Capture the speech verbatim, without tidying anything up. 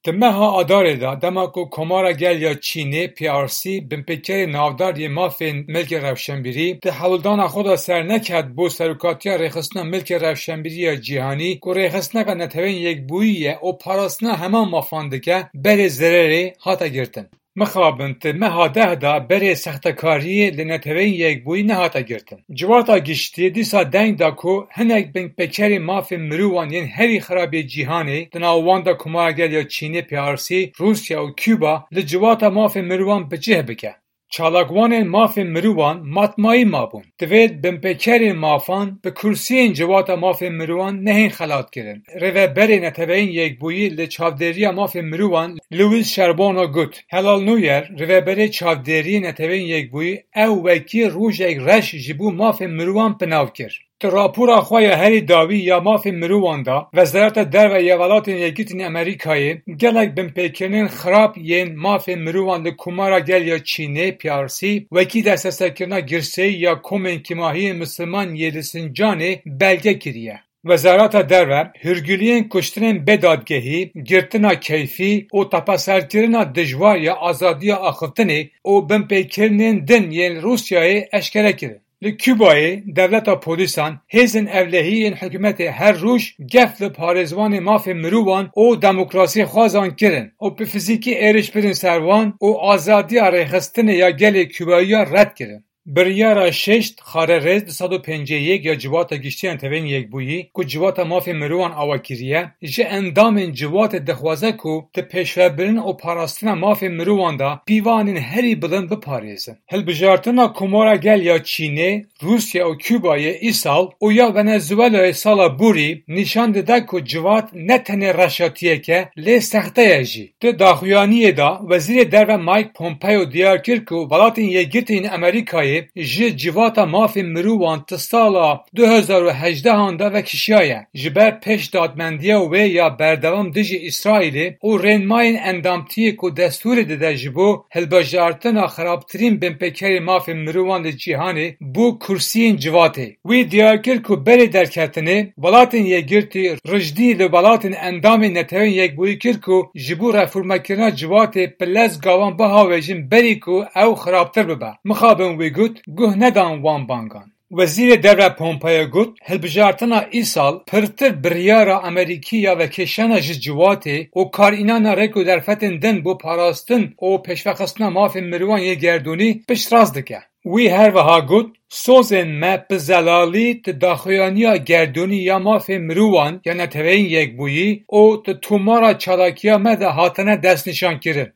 Di meha Adarê de, dema ku Komara Gel ya Çînê, P R C, binpêkerê navdar yê mafên milkê rewşenbîrî, di hewldana xwe de serneket bo serokatiya rêxistina milkê rewşenbîrî ya cîhanî, ku rêxistineke Neteweyên Yekbûyî ye û parastina heman mafan dike, berê zererê hate girtin. Mixabin di meha deh de berê sextekariyê li Neteweyên Yekbûyî nehate girtin. Civata giştî dîsa deng da ku hinek binpêkerê mafên mirovan yên herî xirab yê cîhanê, di nav wan de Komara Gel ya Çînê, P R C, Rûsya û Cuba li civata mafên mirovan bi cih bike. Çalakvanên mafên mirovan matmayî mabûn. Divê binpêkerên mafan bi kursiyên civata mafên mirovan nehên xelatkirin. Rêveberê Neteweyên Yekbûyî li çavdêriya mafên mirovan Louis Charbonneau got, Helal Nûyer, rêveberê çavdêriyê Neteweyên Yekbûyî, ew wekî rojek reş ji bo mafên mirovan bi nav kir. Di rapora xwe ya herî dawî ya mafên mirovan de, Wezareta Derve ya Welatên Yekgirtî yên Amerîkayê, gelek binpêkirinên xirab yên mafên mirovan li Komara Gel ya Çînê, P R C, wekî destbeserkirina girseyî ya komên kêmahiyên misilman yê li Sincanê belge kiriye. Wezareta Derve hûrguliyên kuştinên bê dadgehî, girtina keyfî û tepeserkirina dijwar ya azadiya axiftinê û binpêkirinên din yên Rûsyayê eşkere kirin. Li Cubayê dewleta polîsan, hêzên ewlehî yên hikûmetê her roj gef li parêzvanê mafê mirovan û demokrasiyxwazan kirin û bi fizîkî êrîş birin ser wan û azadiya rêxistinê ya gelê Cubayî ya red kirin. Biryara şeşt xarerêz du sed û pêncî û yek ya Civata Giştî ya Neteweyên Yekbûyî, ku Civata Mafê Mirovan ava kiriye, ji endamên civatê dixwaze ku di pêşvebirin û parastina mafê mirovan de pîvanên herî bilind biparêzin. Hilbijartina Komara Gel ya Çînê, Rûsya û Cubayê îsal û ya Venezuelayê sala borî nîşan dide ku civat ne tenê reşatiyek e, lê sexte ye jî. Di daxuyaniyê de Wezîrê Derve Mike Pompeo diyar kir ku Welatên Yekgirtî yên Amerîkayê ji Civata Mafên Mirovan di sala du hezar û hejdehan de vekişiyaye, ji ber pêşdadmendiya wê ya berdewam dijî Îsraîlê û rênmayên endamtiyê ku destûrê dide ji bo hilbijartina xirabtirîn binpêkerê mafên mirovan li cîhanê bo kursiyên civatê. Wî diyar kir ku berê derketinê Welatên Yekgirtî rijdî li welatên endamên Neteweyên Yekbûyî kir ku ji bo reformekirina civatê bi lez gavan bihawêjin berî ku ew xirabtir bibe. Mixabin wî got, guh nedan wan bangan. Wezîrê Derve Pompeo got, hilbijartina îsal pirtir biryara Amerîkî ya vekêşana ji civatê û karînana rêk û derfetên din bo parastin û pêşvexistina mafên mirovan yê gerdûnî piştrast dike. Wî her wiha got, sozên me bi zelalî di daxuyaniya gerdûnî ya mafê mirovan ya Neteweyên Yekbûyî û di tomara çalakiya me de hatine destnîşankirin.